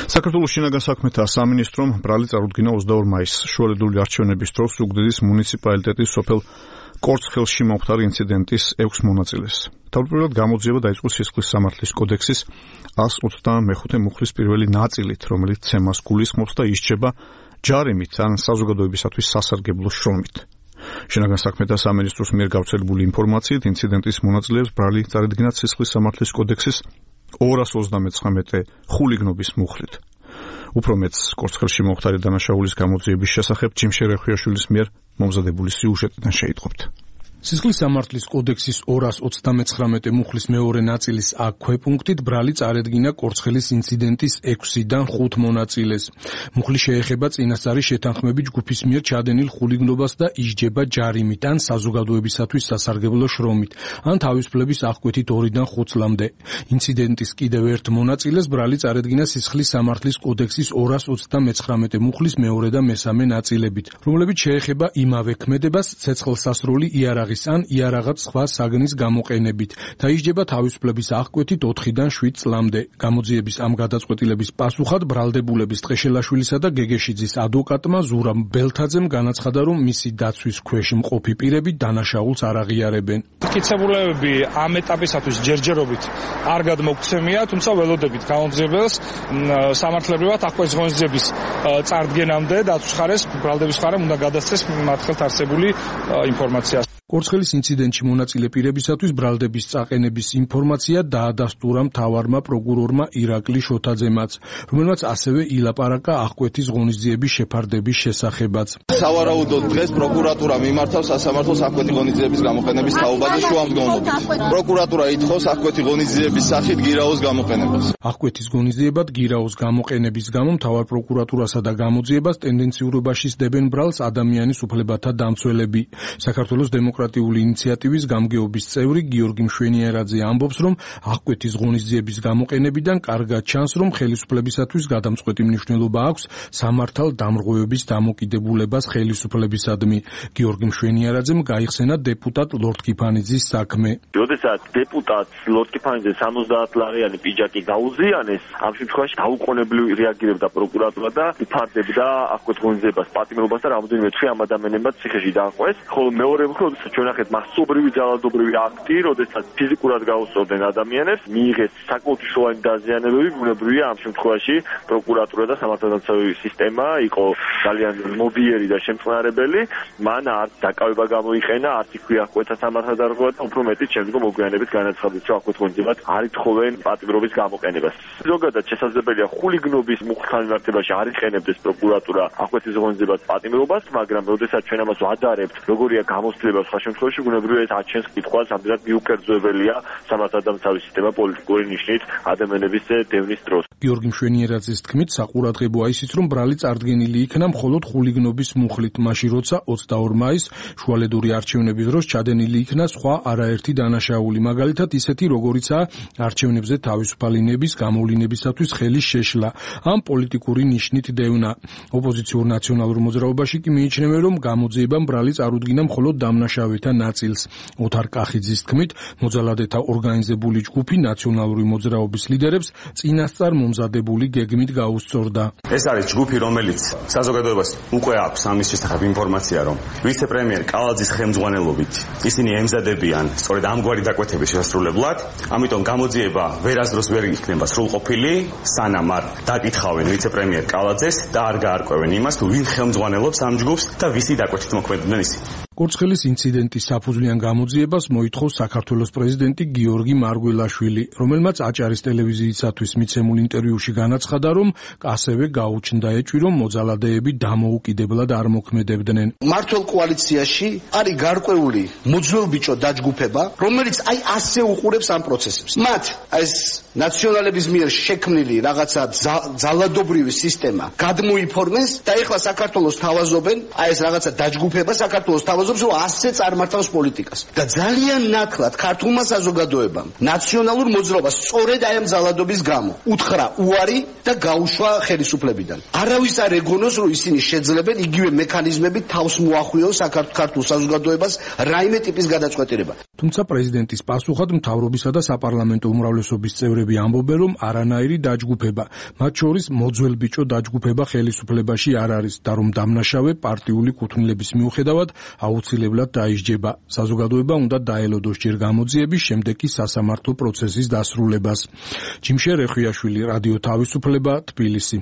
საქართველოს შინაგან საქმეთა სამინისტრომ ბრალი წარუდგინა 22 მაისს შუალედური არჩევნების დროს ზუგდიდის მუნიციპალიტეტის სოფელ კორცხელში მომხდარი ინციდენტის 6 მონაწილეს. თავდაპირველად გამოძიება დაიწყო სისხლის სამართლის კოდექსის 125 მუხლის პირველი ნაწილით, რომელიც ცემას გულისხმობს და ისჯება ჯარიმით ან საზოგადოებისათვის სასარგებლო შრომით. შინაგან საქმეთა სამინისტროს მიერ გავრცელებული ინფორმაციით ინციდენტის მონაწილეებს ბრალი წარედგინა სისხლის სამართლის კოდექსის 239 ხულიგნობის მუხლით. უფრო მეც კორცხელში მომხდარი დანაშაულის გამოძიების შესახებ ჯიმშე რეხვიაშვილის მიერ მომზადებული სიუჟეტიდან შეიტყობთ. სისხლის სამართლის კოდექსის 239 მუხლის მეორე ნაწილის A ქვეპუნქტით ბრალი წარედგინა კორცხელის ინციდენტის 6-დან 5 მონაწილეს. მუხლი შეეხება წინასწარი შეთანხმები ჯგუფის მიერ ჩადენილ ხულიგნობას და ისჯება ჯარიმით ან საზოგადოებისათვის სასარგებლო შრომით, ან თავისუფლების აღკვეთით 2-დან 5 წლამდე. ინციდენტის კიდევ ერთ მონაწილეს ბრალი წარედგინა სისხლის სამართლის კოდექსის 239 მუხლის მეორე და მესამე ნაწილებით, რომლებიც შეეხება იმავე ქმედებას ცეცხლსასროლი იარაღი ან იარაღად სხვა საგნის გამოყენებით და ისჯება თავისუფლების აღკვეთით 4-დან 7 წლამდე. გამოძიების ამ გადაწყვეტილების პასუხად ბრალდებულების ტყეშელაშვილისა და გეგეშიძის ადვოკატმა ზურაბ ბელთაძემ განაცხადა, რომ მისი დაცვის ქვეშ მყოფი პირები დანაშაულს არ აღიარებენ. მტკიცებულებები ამ ეტაპისათვის ჯერჯერობით არ გადმოგცემია, თუმცა ველოდებით გამოძიებელს სამართლებრივად აღკვეთის ღონისძიების წარდგენამდე დაცვის ხარეს ბრალდების ხარემ უნდა გადასცეს მათ ხელთ არსებული ინფორმაცია. კორცხელის ინციდენტში მონაწილე პირებისათვის ბრალდების წაყენების ინფორმაცია დაადასტურა მთავარმა პროკურორმა ირაკლი შოთაძემაც, რომელმაც ასევე ილაპარაკა აღკვეთის ღონისძიების შეფარდების შესახებაც. სავარაუდოდ დღეს პროკურატურა მიმართავს სასამართლოს აღკვეთი ღონისძიების გამოყენების თაობაზე შუამდგომლობით. პროკურატურა ითხოვს აღკვეთი ღონისძიების სახით გირაოს გამოყენებას. აღკვეთის ღონისძიებად გირაოს გამოყენების გამო მთავარ პროკურატურასა და გამოძიებას ტენდენციურობაში სდებენ ბრალს ადამიანის უფლებათა დამცველები. საქართველოს დემოკრატიული ინიციატივის გამგეობის წევრი გიორგი მშვენიერაძე ამბობს, რომ აღკვეთის ღონისძიების გამოყენებიდან კარგად ჩანს, რომ ხელისუფლებისათვის გადამწყვეტი მნიშვნელობა აქვს სამართალ დამრღვევების დამოკიდებულებას ხელისუფლებისადმი. გიორგი მშვენიერაძემ გაიხსენა დეპუტატ ლორდ კიფანიძის საქმე. როდესაც დეპუტატს ლორდ კიფანიძე 70 ლარიანი პიჯაკი გაუზიანეს, ამ შემთხვევაში დაუყოვნებლივ რეაგირებდა პროკურატურა და იფარდებდა აღკვეთ ღონისძიებას პატიმრობას და რამოდენიმე თვე ამ ადამიანებმა ციხეში დააყვეს, ხოლო მეორე მხრივ ჩვენ ნახეთ მასობრივი ძალადობრივი აქტი, როდესაც ფიზიკურად გაუსწორდნენ ადამიანებს, მიიღეს საკმაოდ მნიშვნელოვანი დაზიანებები, ბუნებრივია ამ შემთხვევაში პროკურატურა და სამართალდამცავი სისტემა იყო ძალიან მობიერი და შემწყნარებელი, მან არც დაკავება გამოიყენა, არც იქვე აღკვეთა სამართალდამცავი და უფრო მეტიც შემდგომ მოგვიანებით განაცხადეს, რომ აღკვეთ ღონისძიებად არ ითხოვენ პატიმრობის გამოყენებას. ზოგადად შესაძლებელია ხულიგნობის მუხლთან მიმართებაში არ იყენებდეს პროკურატურა აღკვეთის ღონისძიებას პატიმრობას, მაგრამ როდესაც ჩვენ ამას ვადარებთ, როგორია გამოცდილება სხვა შემთხვევაში ბუნებრივია აჩენს კითხვას, ამდენად მიუკერძოებელია სამართალდამცავი სისტემა პოლიტიკური ნიშნით ადამიანების დევნის დროს. გიორგი მშვენიერაძის თქმით, საყურადღებოა ისიც, რომ ბრალი წარდგენილი იქნა მხოლოდ ხულიგნობის მუხლით, მაშინ როცა 22 მაისს შუალედური არჩევნების დროს ჩადენილი იქნა სხვა არაერთი დანაშაული, მაგალითად ისეთი, როგორიცაა არჩევნებზე თავისუფალი ნების გამოვლინებისათვის ხელის შეშლა, ამ პოლიტიკური ნიშნით დევნა. ოპოზიციურ ნაციონალურ მოძრაობაში კი მიიჩნევენ, რომ გამოძიებამ ბრალი წარუდგინა მხოლოდ დამნაშავეთა ნაწილს. ოთარ კახიძის თქმით, მოძალადეთა ორგანიზებული ჯგუფი ნაციონალური მოძრაობის ლიდერებს წინასწარ მომზადებული გეგმით გაუსწორდა. ეს არის ჯგუფი, რომელიც საზოგადოებას უკვე აქვს ამის შესახებ ინფორმაცია, რომ ვიცე-პრემიერ კალაძის ხელმძღვანელობით ისინი ემზადებიან სწორედ ამგვარი დაკვეთების შესრულებლად, ამიტომ გამოძიება ვერასდროს ვერ იქნება სრულყოფილი, სანამ არ დაკითხავენ ვიცე-პრემიერ კალაძეს და არ გაარკვევენ იმას, თუ ვინ ხელმძღვანელობს ამ ჯგუფს და ვისი დაკვეთით მოქმედებდნენ ისინი. კორცხელის ინციდენტის საფუძვლიან გამოძიებას მოითხოვს საქართველოს პრეზიდენტი გიორგი მარგველაშვილი, რომელმაც აჭარის ტელევიზიისათვის მიცემულ ინტერვიუში განაცხადა, რომ ასევე გაუჩნდა ეჭვი, რომ მოძალადეები დამოუკიდებლად არ მოქმედებდნენ. მართლ კოალიციაში არის გარკვეული მოძველბიჭო დაჯგუფება, რომელიც ასე უყურებს ამ პროცესებს. მათ ეს ნაციონალების მიერ შექმნილი რაღაცა ძალადობრივი სისტემა გადმოიფორმეს და ეხლა საქართველოს თავაზობენ, ეს რაღაცა დაჯგუფება საქართველოს გვთავაზობს, რომ ასე წარმართავს პოლიტიკას. და ძალიან ნათლად ქართულმა საზოგადოებამ ნაციონალურ მოძრაობას სწორედ აი ამ ძალადობის გამო უთხრა უარი და გაუშვა ხელისუფლებიდან. არავის არ ეგონოს, რომ ისინი შეძლებენ იგივე მექანიზმებით თავს მოახვიოს საქართველოს საზოგადოებას რაიმე ტიპის გადაწყვეტილება. თუმცა პრეზიდენტის პასუხად მთავრობისა და საპარლამენტო უმრავლესობის წევრები ამბობენ, რომ არანაირი დაჯგუფება, მათ შორის მოძველბიჭო დაჯგუფება ხელისუფლებაში არ არის და რომ დამნაშავე პარტიული კუთვნილების მიუხედავად აუცილებლად დაისჯება. საზოგადოება უნდა დაელოდოს ჯერ გამოძიების, შემდეგ კი სასამართლო პროცესის დასრულებას. ჯიმშე რეხვიაშვილი, რადიო თავისუფლება, თბილისი.